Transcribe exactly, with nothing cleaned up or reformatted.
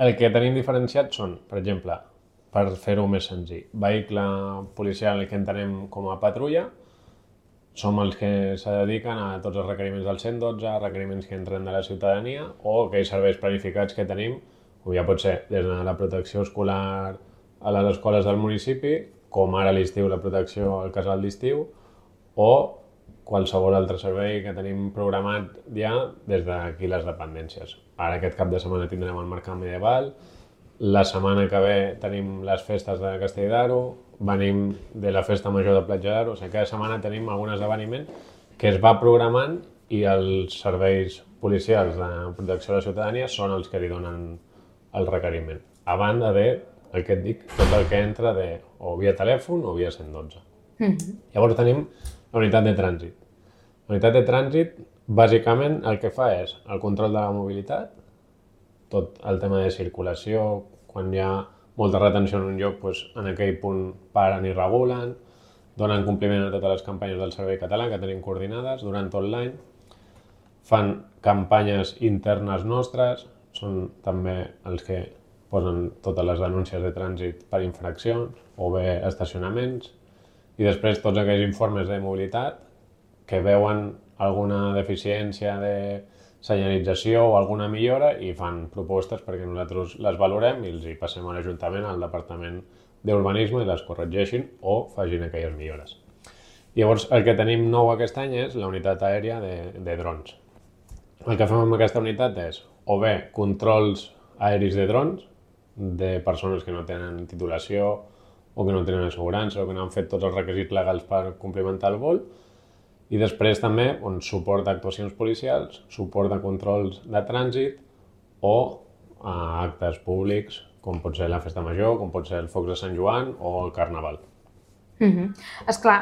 El que tenim diferenciat són, per exemple, per fer-ho més senzill, vehicle policial que entenem com a patrulla, som els que se dediquen a tots els requeriments del cent dotze, requeriments que entren de la ciutadania o aquells serveis planificats que tenim, com ja pot ser des de la protecció escolar a les escoles del municipi, com ara a l'estiu la protecció al casal d'estiu, o qualsevol altre servei que tenim programat ja des d'aquí les dependències. Ara aquest cap de setmana tindrem el Mercat Medieval, la setmana que ve tenim les festes de Castell d'Aro, venim de la festa major de Platja d'Aro, o sigui, cada setmana tenim algun esdeveniment que es va programant i els serveis policials de protecció de la ciutadania són els que li donen el requeriment. A banda de, el que et dic, tot el que entra de o via telèfon o via cent dotze. Mm-hmm. Llavors tenim la unitat de trànsit. La unitat de trànsit, bàsicament, el que fa és el control de la mobilitat, tot el tema de circulació, quan hi ha molta retenció en un lloc, doncs en aquell punt paren i regulen, donen compliment a totes les campanyes del Servei Català que tenim coordinades durant tot l'any, fan campanyes internes nostres, són també els que posen totes les denúncies de trànsit per infraccions o bé estacionaments, i després tots aquells informes de mobilitat que veuen alguna deficiència de senyalització o alguna millora i fan propostes perquè nosaltres les valorem i els hi passem a l'Ajuntament, al Departament d'Urbanisme i les corregeixin o facin aquelles millores. Llavors, el que tenim nou aquest any és la unitat aèria de, de drons. El que fem amb aquesta unitat és o bé controls aèris de drons de persones que no tenen titulació o que no tenen assegurança o que no han fet tots els requisits legals per complimentar el vol, i després també on suport d'actuacions policials, suport de controls de trànsit o a actes públics, com pot ser la Festa Major, com pot ser el Focs de Sant Joan o el Carnaval. Mm-hmm. Esclar,